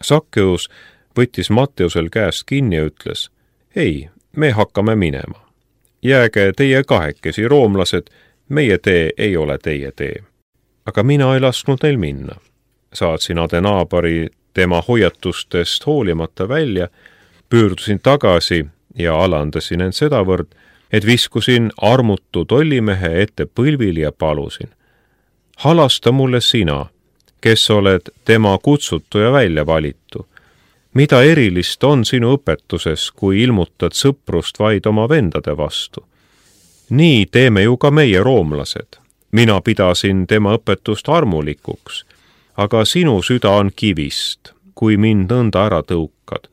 Sakkeus võttis Matteusel käest kinni ja ütles, ei, me hakkame minema. Jääge teie kahekesi, roomlased, meie tee ei ole teie tee. Aga mina ei lasknud neil minna. Saatsin Adenaabari tema hoiatustest hoolimata välja, pöördusin tagasi ja alandasin end sedavõrd, et viskusin armutu tollimehe ette põlvili ja palusin. Halasta mulle sina, kes oled tema kutsutu ja välja valitu. Mida erilist on sinu õpetuses, kui ilmutad sõprust vaid oma vendade vastu? Nii teeme ju ka meie roomlased. Mina pidasin tema õpetust armulikuks, aga sinu süda on kivist, kui mind nõnda ära tõukad.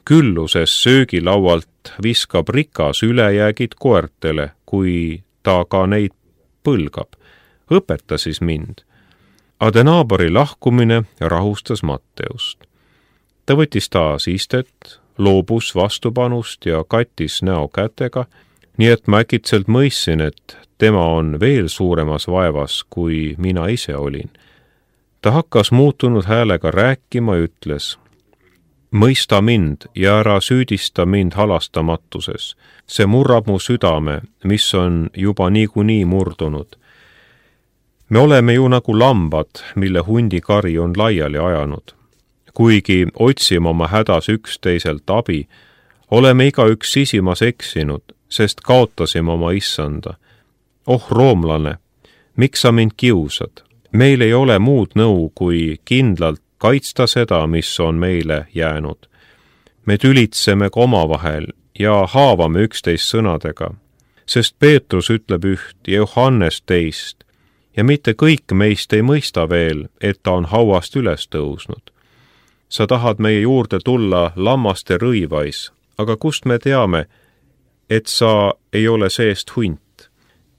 Külluses söögilaualt viskab rikas ülejäägid koertele, kui ta ka neid põlgab. Õpeta siis mind. Adenaabari lahkumine rahustas Matteust. Ta võttis taas istet, loobus vastupanust ja kattis näo kätega, nii et ma äkitselt mõistsin, et tema on veel suuremas vaevas, kui mina ise olin. Ta hakkas muutunud häälega rääkima ja ütles, mõista mind ja ära süüdista mind halastamatuses. See murrab mu südame, mis on juba niikuinii murdunud. Me oleme ju nagu lambad, mille hundikari on laiali ajanud. Kuigi otsime oma hädas üksteiselt abi, oleme igaüks sisimas eksinud, sest kaotasime oma issanda. Oh roomlane, miks sa mind kiusad? Meil ei ole muud nõu, kui kindlalt kaitsta seda, mis on meile jäänud. Me tülitseme ka omavahel ja haavame üksteist sõnadega, sest Peetrus ütleb üht ja Johannes teist, ja mitte kõik meist ei mõista veel, et ta on hauast üles tõusnud. Sa tahad meie juurde tulla lammaste rõivais, aga kust me teame, et sa ei ole seest hunt?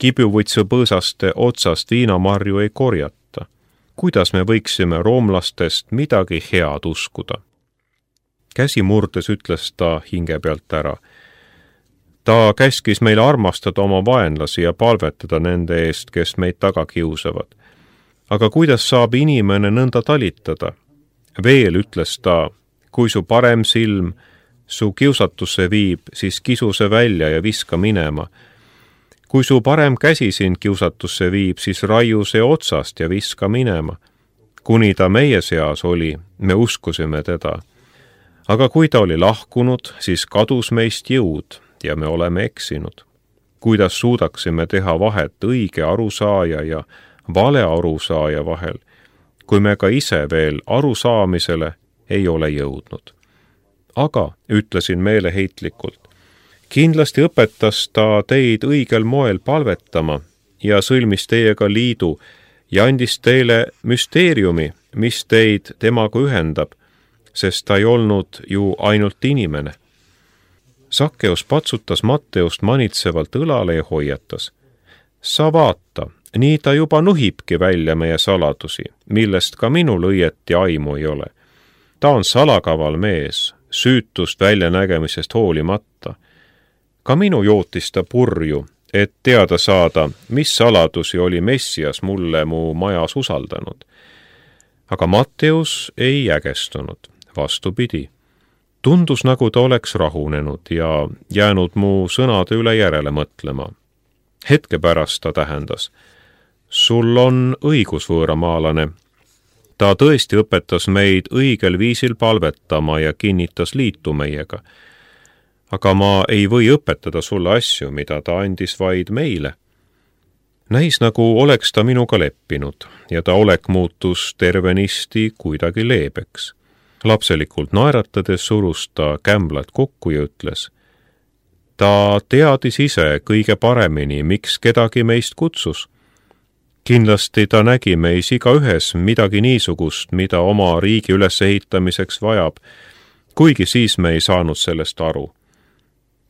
Kibuvõtsu põõsaste otsast viinamarju ei korjata. Kuidas me võiksime roomlastest midagi head uskuda? Käsi murdes ütles ta hinge pealt ära. Ta käskis meile armastada oma vaenlasi ja palvetada nende eest, kes meid taga kiusavad. Aga kuidas saab inimene nõnda talitada? Veel ütles ta, kui su parem silm su kiusatusse viib, siis kisu see välja ja viska minema. Kui su parem käsi sind kiusatusse viib, siis raiu see otsast ja viska minema. Kuni ta meie seas oli, me uskusime teda. Aga kui ta oli lahkunud, siis kadus meist jõud ja me oleme eksinud. Kuidas suudaksime teha vahet õige arusaaja ja vale arusaaja vahel, kui me ka ise veel arusaamisele ei ole jõudnud? Aga, ütlesin meeleheitlikult, kindlasti õpetas ta teid õigel moel palvetama ja sõlmis teiega liidu ja andis teile müsteeriumi, mis teid temaga ühendab, sest ta ei olnud ju ainult inimene. Sakkeus patsutas Matteust manitsevalt õlale ja hoiatas. Sa vaata, nii ta juba nuhibki välja meie saladusi, millest ka minul õieti aimu ei ole. Ta on salakaval mees, süütust väljanägemisest hoolimata. Ka minu jootis ta purju, et teada saada, mis saladusi oli Messias mulle mu majas usaldanud. Aga Matteus ei ägestunud, vastupidi. Tundus, nagu ta oleks rahunenud ja jäänud mu sõnade üle järele mõtlema. Hetke pärast ta tähendas. Sul on õigus, võõramaalane. Ta tõesti õpetas meid õigel viisil palvetama ja kinnitas liitu meiega. Aga ma ei või õpetada sulle asju, mida ta andis vaid meile. Näis, nagu oleks ta minuga leppinud ja ta olek muutus tervenisti kuidagi leebeks. Lapselikult naeratades surus ta kämblad kokku ja ütles. Ta teadis ise kõige paremini, miks kedagi meist kutsus. Kindlasti ta nägi meis igaühes midagi niisugust, mida oma riigi ülesehitamiseks vajab, kuigi siis me ei saanud sellest aru.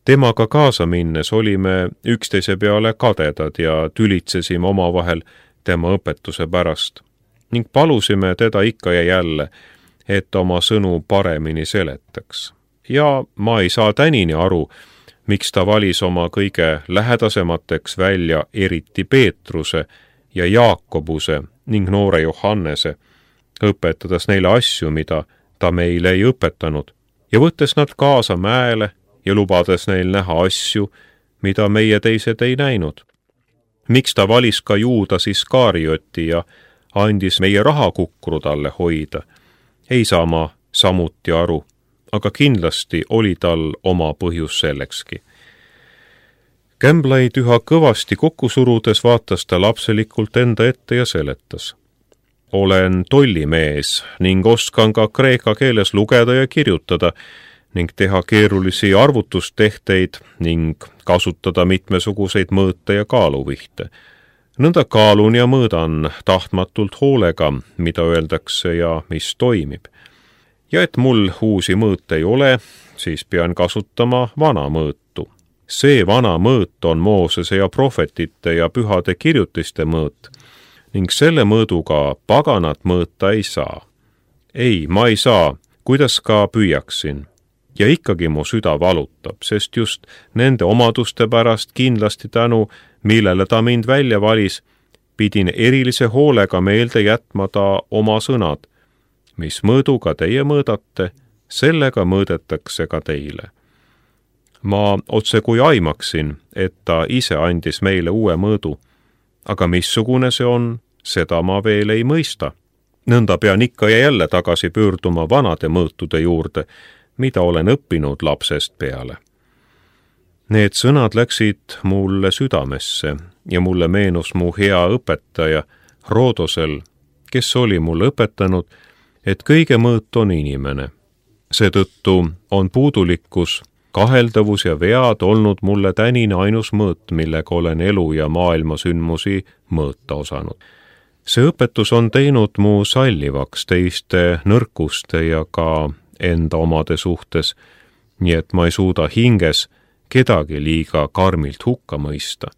Temaga kaasa minnes olime üksteise peale kadedad ja tülitsesime omavahel tema õpetuse pärast ning palusime teda ikka ja jälle, et oma sõnu paremini seletaks. Ja ma ei saa tänini aru, miks ta valis oma kõige lähedasemateks välja eriti Peetruse ja Jaakobuse ning noore Johannese, õpetades neile asju, mida ta meile ei õpetanud ja võttes nad kaasa mäele ja lubades neil näha asju, mida meie teised ei näinud. Miks ta valis ka Juudas Iskarioti ja andis meie rahakukru talle hoida? Ei saa ma samuti aru, aga kindlasti oli tal oma põhjus sellekski. Kämblaid üha kõvasti kokku surudes vaatas ta lapselikult enda ette ja seletas. Olen tollimees ning oskan ka kreeka keeles lugeda ja kirjutada ning teha keerulisi arvutustehteid ning kasutada mitmesuguseid mõõte ja kaaluvihte. Nõnda kaalun ja mõõdan tahtmatult hoolega, mida öeldakse ja mis toimib. Ja et mul uusi mõõte ei ole, siis pean kasutama vana mõõtu. See vana mõõt on Moosese ja prohvetite ja pühade kirjutiste mõõt ning selle mõõduga paganat mõõta ei saa. Ei, ma ei saa, kuidas ka püüaksin. Ja ikkagi mu süda valutab, sest just nende omaduste pärast kindlasti tänu, millele ta mind välja valis, pidin erilise hoolega meelde jätma ta oma sõnad. Mis mõõduga teie mõõdate, sellega mõõdetakse ka teile. Ma otse kui aimaksin, et ta ise andis meile uue mõõdu, aga missugune see on, seda ma veel ei mõista. Nõnda pean ikka ja jälle tagasi pöörduma vanade mõõtude juurde, mida olen õppinud lapsest peale. Need sõnad läksid mulle südamesse ja mulle meenus mu hea õpetaja Roodosel, kes oli mulle õpetanud, et kõige mõõt on inimene. Seetõttu on puudulikkus, kaheldavus ja vead olnud mulle tänine ainus mõõt, millega olen elu ja maailma sündmusi mõõta osanud. See õpetus on teinud mu sallivaks teiste nõrkuste ja ka enda omade suhtes, nii et ma ei suuda hinges kedagi liiga karmilt hukka mõista.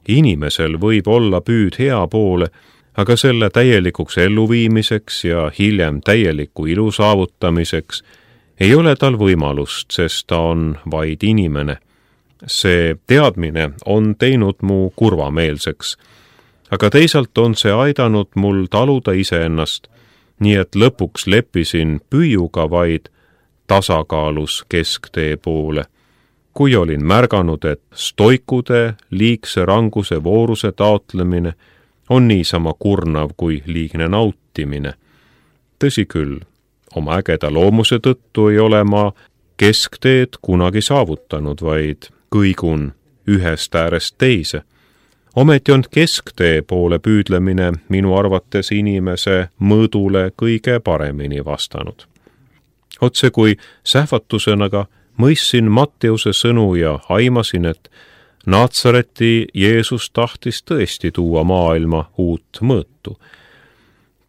Inimesel võib olla püüd hea poole, aga selle täielikuks elluviimiseks ja hiljem täieliku ilu saavutamiseks ei ole tal võimalust, sest ta on vaid inimene. See teadmine on teinud mu kurvameelseks, aga teisalt on see aidanud mul taluda iseennast, nii et lõpuks leppisin püüuga vaid tasakaalus kesktee poole. Kui olin märganud, et stoikude liigse ranguse vooruse taotlemine on niisama kurnav kui liigne nautimine. Tõsi küll, oma ägeda loomuse tõttu ei ole ma keskteed kunagi saavutanud, vaid kõigun ühest äärest teise. Ometi on kesktee poole püüdlemine minu arvates inimese mõõdule kõige paremini vastanud. Otse kui sähvatusena mõistsin Matteuse sõnu ja aimasin, et Naatsareti Jeesus tahtis tõesti tuua maailma uut mõõtu.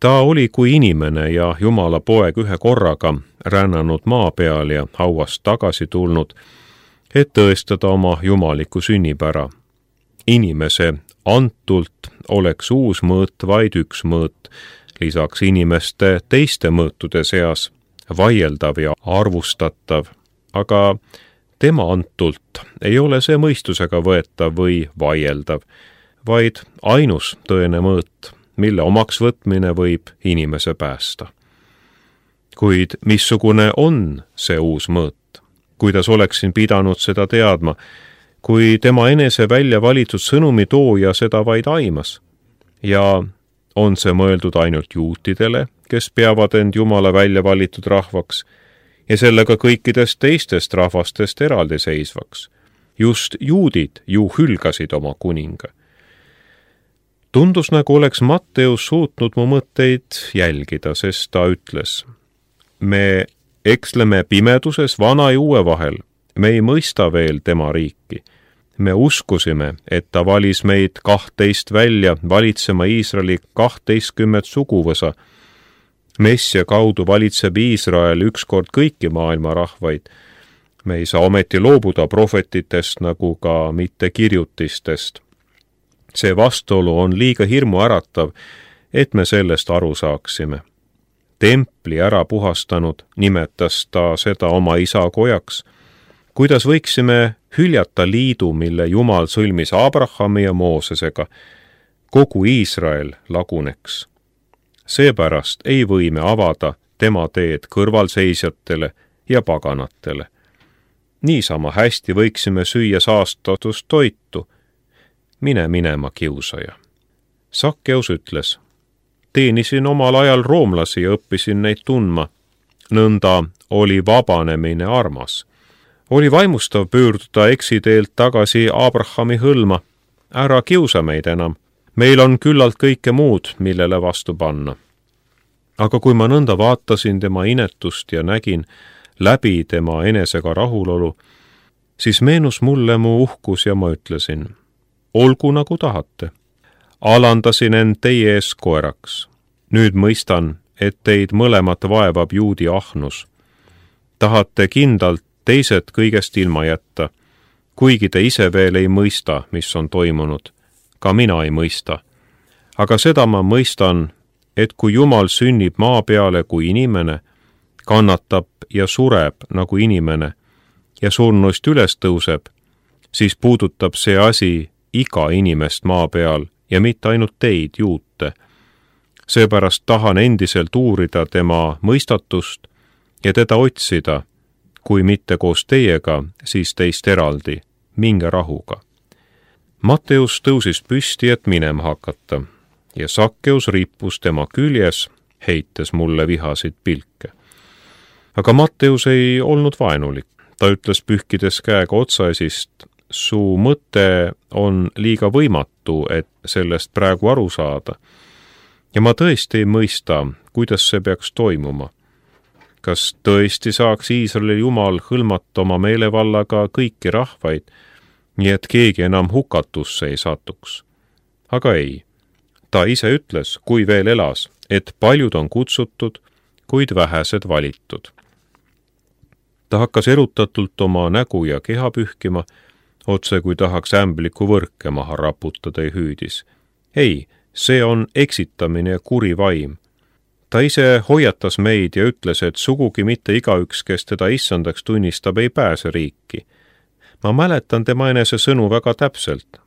Ta oli kui inimene ja Jumala poeg ühe korraga rännanud maa peal ja hauast tagasi tulnud, et tõestada oma jumaliku sünnipära. Inimese antult oleks uus mõõt vaid üks mõõt, lisaks inimeste teiste mõõtude seas, vaieldav ja arvustatav, aga tema antult ei ole see mõistusega võetav või vaieldav, vaid ainus tõene mõõt, mille omaks võtmine võib inimese päästa. Kuid missugune on see uus mõõt? Kuidas oleksin pidanud seda teadma, kui tema enese välja valitud sõnumi tooja seda vaid aimas? Ja on see mõeldud ainult juutidele, kes peavad end Jumala välja valitud rahvaks, ja sellega kõikidest teistest rahvastest eraldiseisvaks. Just juudid ju hülgasid oma kuninga. Tundus, nagu oleks Matteus suutnud mu mõtteid jälgida, sest ta ütles, me eksleme pimeduses vana ja uue vahel, me ei mõista veel tema riiki. Me uskusime, et ta valis meid 12 välja valitsema Iisraeli 12 suguvõsa. Messia kaudu valitseb Iisrael ükskord kõiki maailma rahvaid. Me ei saa ometi loobuda prohvetitest nagu ka mitte kirjutistest. See vastuolu on liiga hirmuäratav, et me sellest aru saaksime. Templi ära puhastanud nimetas ta seda oma isa kojaks. Kuidas võiksime hüljata liidu, mille Jumal sõlmis Abrahami ja Moosesega, kogu Iisrael laguneks. Seepärast ei või me avada tema teed kõrvalseisjatele ja paganatele. Niisama hästi võiksime süüa saastatust toitu. Mine minema, kiusaja. Sakkeus ütles: teenisin omal ajal roomlasi ja õppisin neid tundma. Nõnda oli vabanemine armas. Oli vaimustav pöörduda eksiteelt tagasi Abrahami hõlma. Ära kiusa meid enam. Meil on küllalt kõike muud, millele vastu panna. Aga kui ma nõnda vaatasin tema inetust ja nägin läbi tema enesega rahulolu, siis meenus mulle mu uhkus ja ma ütlesin: olgu nagu tahate. Alandasin end teie ees koeraks. Nüüd mõistan, et teid mõlemat vaevab juudi ahnus. Tahate kindlalt teised kõigest ilma jätta, kuigi te ise veel ei mõista, mis on toimunud. Ka mina ei mõista. Aga seda ma mõistan, et kui Jumal sünnib maa peale kui inimene, kannatab ja sureb nagu inimene ja surnuist üles tõuseb, siis puudutab see asi iga inimest maa peal ja mitte ainult teid, juute. Seepärast tahan endiselt uurida tema mõistatust ja teda otsida, kui mitte koos teiega, siis teist eraldi, minge rahuga. Matteus tõusis püsti, et minema hakata, ja Sakkeus rippus tema küljes, heites mulle vihasid pilke. Aga Matteus ei olnud vaenulik. Ta ütles pühkides käega otsaesist: su mõte on liiga võimatu, et sellest praegu aru saada. Ja ma tõesti ei mõista, kuidas see peaks toimuma. Kas tõesti saaks Iisraeli Jumal hõlmata oma meelevallaga kõiki rahvaid, nii et keegi enam hukatusse ei satuks? Aga ei. Ta ise ütles, kui veel elas, et paljud on kutsutud, kuid vähesed valitud. Ta hakkas erutatult oma nägu ja keha pühkima, otse kui tahaks ämbliku võrke maha raputada ja hüüdis: ei, see on eksitamine ja kuri vaim. Ta ise hoiatas meid ja ütles, et sugugi mitte igaüks, kes teda issandaks tunnistab, ei pääse riiki. Ma mäletan tema enese sõnu väga täpselt.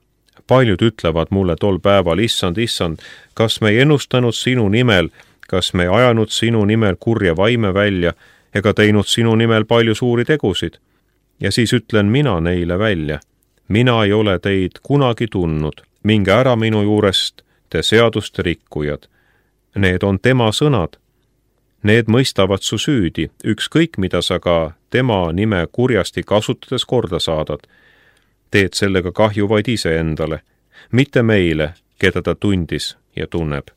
Paljud ütlevad mulle tol päeval: issand, issand, kas me ei ennustanud sinu nimel, kas me ei ajanud sinu nimel kurja vaime välja ega teinud sinu nimel palju suuri tegusid? Ja siis ütlen mina neile välja: mina ei ole teid kunagi tundnud, minge ära minu juurest, te seaduste rikkujad. Need on tema sõnad. Need mõistavad su süüdi, ükskõik mida sa ka tema nime kurjasti kasutades korda saadad. Teed sellega kahju vaid iseendale, mitte meile, keda ta tundis ja tunneb.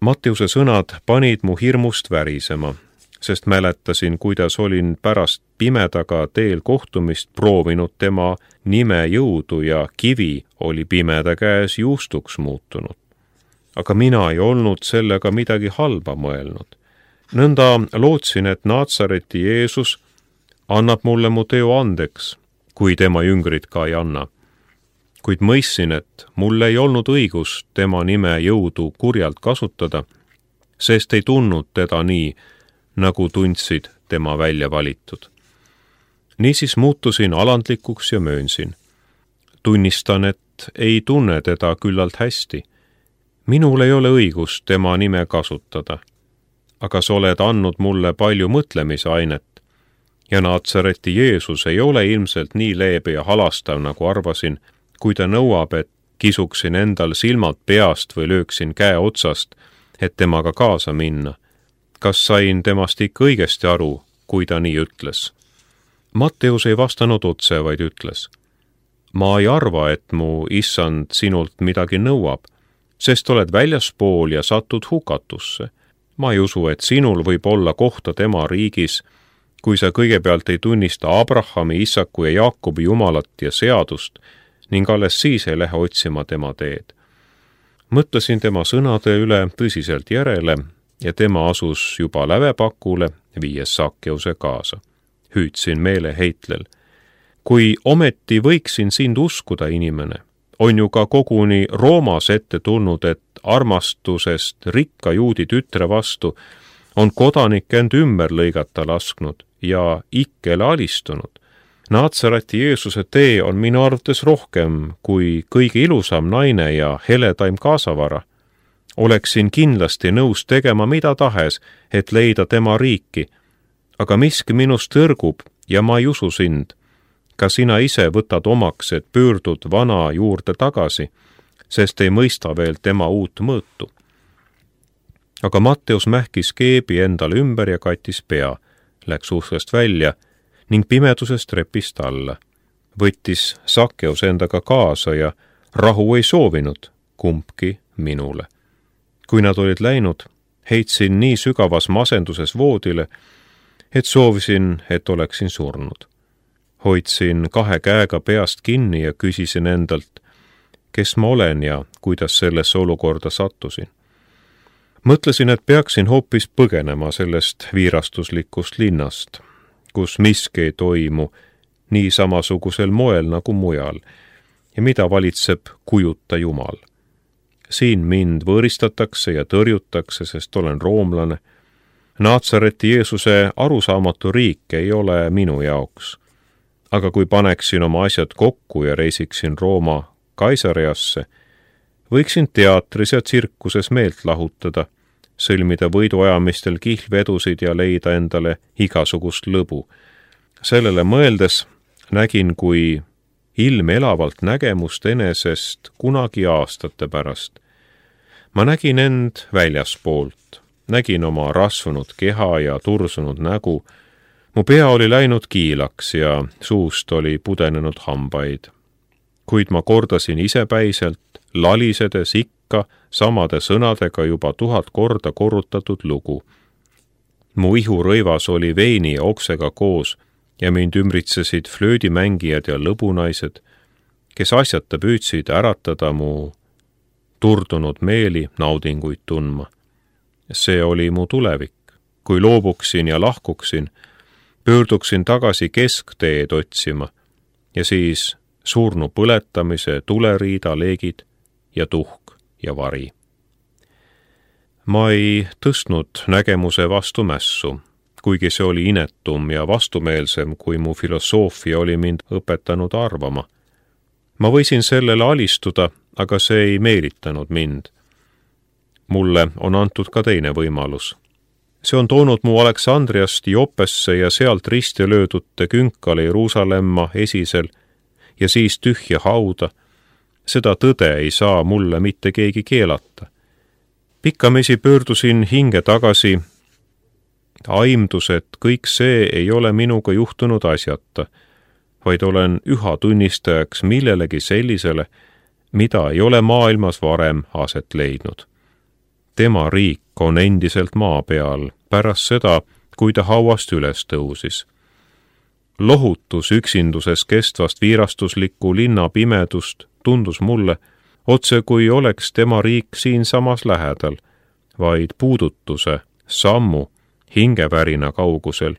Matteuse sõnad panid mu hirmust värisema, sest mäletasin, kuidas olin pärast pimedaga teel kohtumist proovinud tema nime jõudu ja kivi oli pimeda käes juustuks muutunud. Aga mina ei olnud sellega midagi halba mõelnud. Nõnda lootsin, et Naatsareti Jeesus annab mulle mu teo andeks, kui tema jüngrid ka ei anna. Kuid mõistsin, et mul ei olnud õigus tema nime jõudu kurjalt kasutada, sest ei tundnud teda nii, nagu tundsid tema välja valitud. Niisiis muutusin alandlikuks ja möönsin. Tunnistan, et ei tunne teda küllalt hästi. Minul ei ole õigust tema nime kasutada, aga sa oled andnud mulle palju mõtlemisainet ja Naatsareti Jeesus ei ole ilmselt nii leebe ja halastav, nagu arvasin, kui ta nõuab, et kisuksin endal silmad peast või lööksin käe otsast, et temaga kaasa minna. Kas sain temast ikka õigesti aru, kui ta nii ütles? Matteus ei vastanud otse, vaid ütles: ma ei arva, et mu issand sinult midagi nõuab, sest oled väljaspool ja satud hukatusse. Ma ei usu, et sinul võib olla kohta tema riigis, kui sa kõigepealt ei tunnista Abrahami, Isaku ja Jaakobi Jumalat ja seadust ning alles siis ei lähe otsima tema teed. Mõtlesin tema sõnade üle tõsiselt järele ja tema asus juba lävepakule, viies Sakkeuse kaasa. Hüüdsin meeleheitlel: kui ometi võiksin sind uskuda, inimene, on ju ka koguni Roomas ette tulnud, et armastusest rikka juudi tütre vastu on kodanik end ümber lõigata lasknud ja ikkele alistunud. Naatsareti Jeesuse tee on minu arvates rohkem kui kõige ilusam naine ja heledaim kaasavara. oleksin kindlasti nõus tegema mida tahes, et leida tema riiki, aga miski minust tõrgub ja ma ei usu sind. Ka sina ise võtad omaks, et pöördud vana juurde tagasi, sest ei mõista veel tema uut mõõtu. Aga Matteus mähkis keebi endale ümber ja kattis pea, läks uksest välja ning pimedusest trepist alla. Võttis Sakkeus endaga kaasa ja rahu ei soovinud kumbki minule. Kui nad olid läinud, heitsin nii sügavas masenduses voodile, et soovisin, et oleksin surnud. Hoidsin 2 käega peast kinni ja küsisin endalt, kes ma olen ja kuidas sellesse olukorda sattusin. Mõtlesin, et peaksin hoopis põgenema sellest viirastuslikust linnast, kus miski ei toimu nii samasugusel moel nagu mujal ja mida valitseb kujuta Jumal. Siin mind võõristatakse ja tõrjutakse, sest olen roomlane. Naatsareti Jeesuse arusaamatu riik ei ole minu jaoks. Aga kui paneksin oma asjad kokku ja reisiksin Rooma Kaisariasse, võiksin teatris ja tsirkuses meelt lahutada, sõlmida võiduajamistel kihlvedusid ja leida endale igasugust lõbu. Sellele mõeldes nägin kui ilmeelavalt nägemust enesest kunagi aastate pärast. Ma nägin end väljaspoolt, nägin oma rasvunud keha ja tursunud nägu. Mu pea oli läinud kiilaks ja suust oli pudenenud hambaid. Kuid ma kordasin isepäiselt, lalisedes ikka samade sõnadega juba 1000 korda korrutatud lugu. Mu ihurõivas oli veini ja oksega koos ja mind ümbritsesid flöödimängijad ja lõbunaised, kes asjata püüdsid äratada mu turdunud meeli naudinguid tundma. See oli mu tulevik. Kui loobuksin ja lahkuksin, pöörduksin tagasi keskteed otsima ja siis surnu põletamise, tuleriida, leegid ja tuhk ja vari. Ma ei tõstnud nägemuse vastu mässu, kuigi see oli inetum ja vastumeelsem, kui mu filosoofia oli mind õpetanud arvama. Ma võisin sellele alistuda, aga see ei meelitanud mind. Mulle on antud ka teine võimalus. See on toonud mu Aleksandriast Joppesse ja sealt risti löödute künkale Jeruusalemma esisel ja siis tühja hauda. Seda tõde ei saa mulle mitte keegi keelata. Pikkamisi pöördusin hinge tagasi, aimdus, et kõik see ei ole minuga juhtunud asjata, vaid olen üha tunnistajaks millelegi sellisele, mida ei ole maailmas varem aset leidnud. Tema riik on endiselt maa peal pärast seda, kui ta hauast üles tõusis. Lohutus üksinduses kestvast viirastuslikku linna pimedust tundus mulle, otse kui oleks tema riik siinsamas lähedal, vaid puudutuse, sammu, hingevärina kaugusel.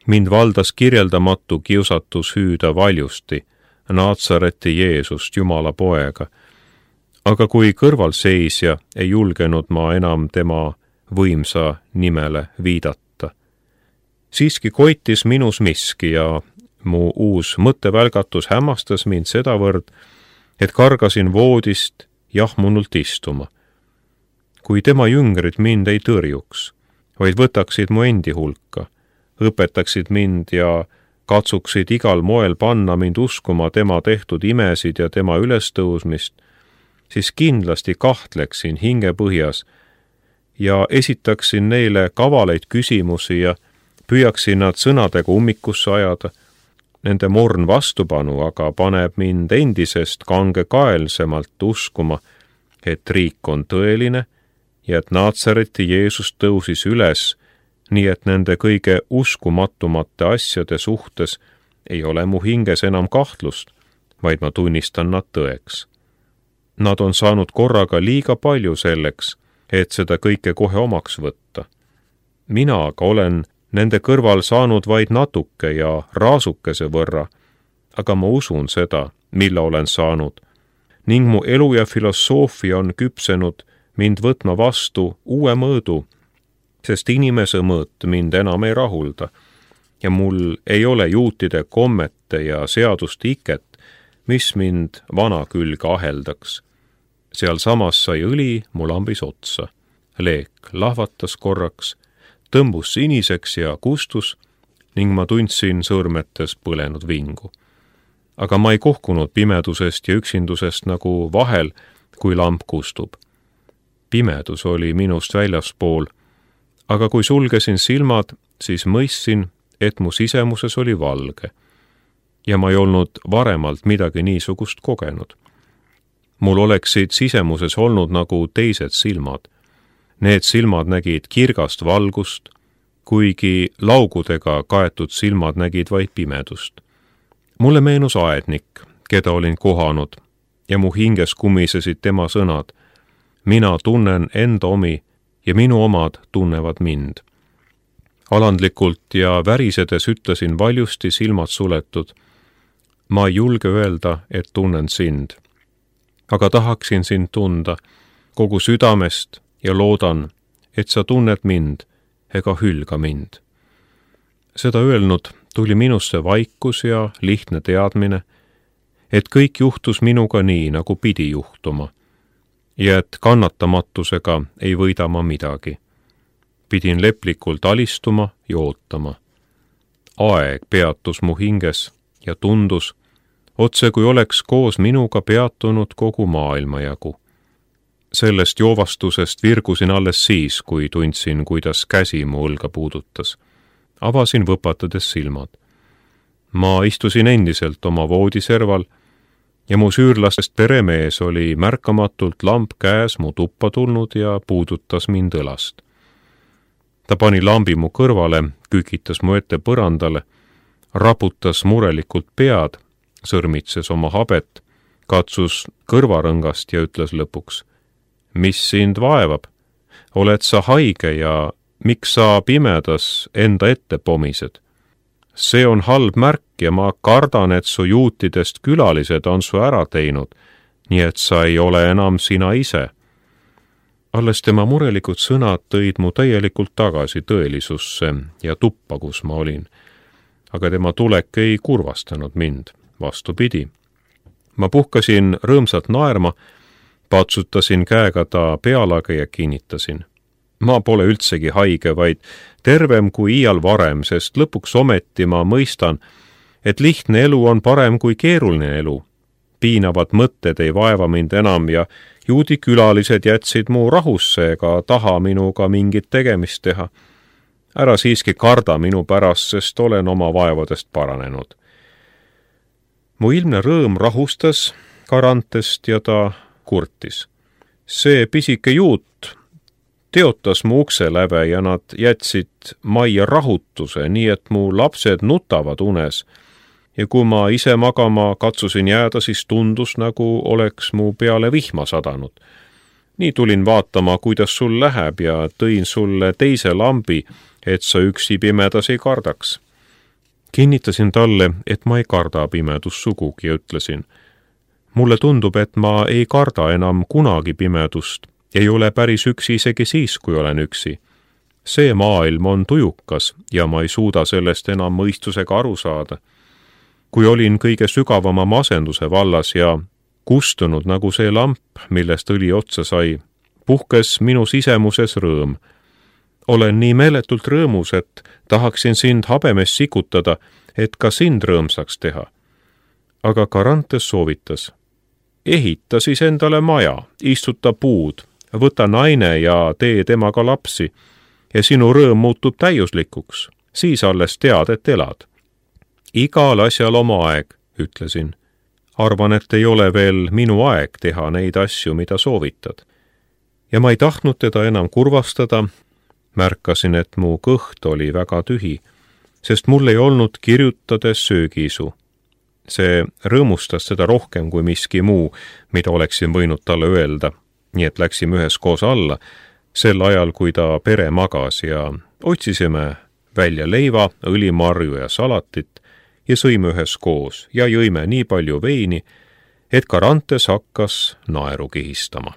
Mind valdas kirjeldamatu kiusatus hüüda valjusti, Naatsareti Jeesust, Jumala poega. Aga kui kõrvalseisja ei julgenud ma enam tema võimsa nimele viidata. Siiski koitis minus miski ja mu uus mõttevälgatus hämmastas mind sedavõrd, et kargasin voodist jahmunult istuma. Kui tema jüngrid mind ei tõrjuks, vaid võtaksid mu endi hulka, õpetaksid mind ja katsuksid igal moel panna mind uskuma tema tehtud imesid ja tema ülestõusmist, siis kindlasti kahtleksin hingepõhjas ja esitaksin neile kavaleid küsimusi ja püüaksin nad sõnadega ummikusse ajada. Nende morn vastupanu aga paneb mind endisest kangekaelsemalt uskuma, et riik on tõeline ja et Naatsareti Jeesus tõusis üles, nii et nende kõige uskumatumate asjade suhtes ei ole mu hinges enam kahtlust, vaid ma tunnistan nad tõeks. Nad on saanud korraga liiga palju selleks, et seda kõike kohe omaks võtta. Mina aga olen nende kõrval saanud vaid natuke ja raasukese võrra, aga ma usun seda, mille olen saanud, ning mu elu ja filosoofia on küpsenud mind võtma vastu uue mõõdu, sest inimese mõõt mind enam ei rahulda ja mul ei ole juutide kommete ja seaduste iket, mis mind vana külge aheldaks. Sealsamas sai õli mu lambis otsa. Leek lahvatas korraks, tõmbus siniseks ja kustus ning ma tundsin sõrmetes põlenud vingu. Aga ma ei kohkunud pimedusest ja üksindusest nagu vahel, kui lamp kustub. Pimedus oli minust väljaspool, aga kui sulgesin silmad, siis mõistsin, et mu sisemuses oli valge. Ja ma ei olnud varemalt midagi niisugust kogenud. Mul oleksid sisemuses olnud nagu teised silmad. Need silmad nägid kirgast valgust, kuigi laugudega kaetud silmad nägid vaid pimedust. Mulle meenus aednik, keda olin kohanud, ja mu hinges kummisesid tema sõnad. Mina tunnen enda omi ja minu omad tunnevad mind. Alandlikult ja värisedes ütlesin valjusti silmad suletud. Ma ei julge öelda, et tunnen sind. Aga tahaksin sind tunda kogu südamest ja loodan, et sa tunned mind ega hülga mind. Seda öelnud tuli minusse vaikus ja lihtne teadmine, et kõik juhtus minuga nii, nagu pidi juhtuma, ja et kannatamatusega ei võida ma midagi. Pidin leplikult alistuma ja ootama. Aeg peatus mu hinges ja tundus, otse kui oleks koos minuga peatunud kogu maailmajagu. Sellest joovastusest virgusin alles siis, kui tundsin, kuidas käsi mu õlga puudutas. Avasin võpatades silmad. Ma istusin endiselt oma voodiserval ja mu süürlastest peremees oli märkamatult lamp käes mu tuppa tulnud ja puudutas mind õlast. Ta pani lambi mu kõrvale, kükitas mu ette põrandale, raputas murelikult pead, sõrmitses oma habet, katsus kõrvarõngast ja ütles lõpuks: mis sind vaevab? Oled sa haige ja miks sa pimedas enda ette pomised? See on halb märk ja ma kardan, et su juutidest külalised on su ära teinud, nii et sa ei ole enam sina ise. Alles tema murelikud sõnad tõid mu täielikult tagasi tõelisusse ja tuppa, kus ma olin. Aga tema tulek ei kurvastanud mind, vastupidi. Ma puhkasin rõõmsalt naerma, patsutasin käega ta pealage ja kinnitasin. Ma pole üldsegi haige, vaid tervem kui iial varem, sest lõpuks ometi ma mõistan, et lihtne elu on parem kui keeruline elu. Piinavad mõtted ei vaeva mind enam ja juudi külalised jätsid mu rahusse ega taha minuga mingit tegemist teha. Ära siiski karda minu pärast, sest olen oma vaevadest paranenud. Mu ilmne rõõm rahustas Carantest ja ta kurtis. See pisike juut teotas mu ukse läve ja nad jätsid majja rahutuse, nii et mu lapsed nutavad unes. Ja kui ma ise magama katsusin jääda, siis tundus, nagu oleks mu peale vihma sadanud. Nii tulin vaatama, kuidas sul läheb ja tõin sulle teise lambi, et sa üksi pimedas ei kardaks. Kinnitasin talle, et ma ei karda pimedust sugugi ja ütlesin: mulle tundub, et ma ei karda enam kunagi pimedust, ei ole päris üksi isegi siis, kui olen üksi. See maailm on tujukas ja ma ei suuda sellest enam mõistusega aru saada. Kui olin kõige sügavama masenduse vallas ja kustunud nagu see lamp, millest õli otsa sai, puhkes minu sisemuses rõõm. Olen nii meeletult rõõmus, et tahaksin sind habemes sikutada, et ka sind rõõmsaks teha. Aga Carantes soovitas: ehita siis endale maja, istuta puud, võta naine ja tee temaga lapsi ja sinu rõõm muutub täiuslikuks, siis alles tead, et elad. Igal asjal oma aeg, ütlesin. Arvan, et ei ole veel minu aeg teha neid asju, mida soovitad. Ja ma ei tahtnud teda enam kurvastada, märkasin, et mu kõht oli väga tühi, sest mul ei olnud kirjutades söögiisu. See rõõmustas seda rohkem kui miski muu, mida oleksin võinud talle öelda, nii et läksime üheskoos alla, sel ajal, kui ta pere magas ja otsisime välja leiva, õlimarju ja salatit ja sõime üheskoos ja jõime nii palju veini, et Carantes hakkas naeru kihistama.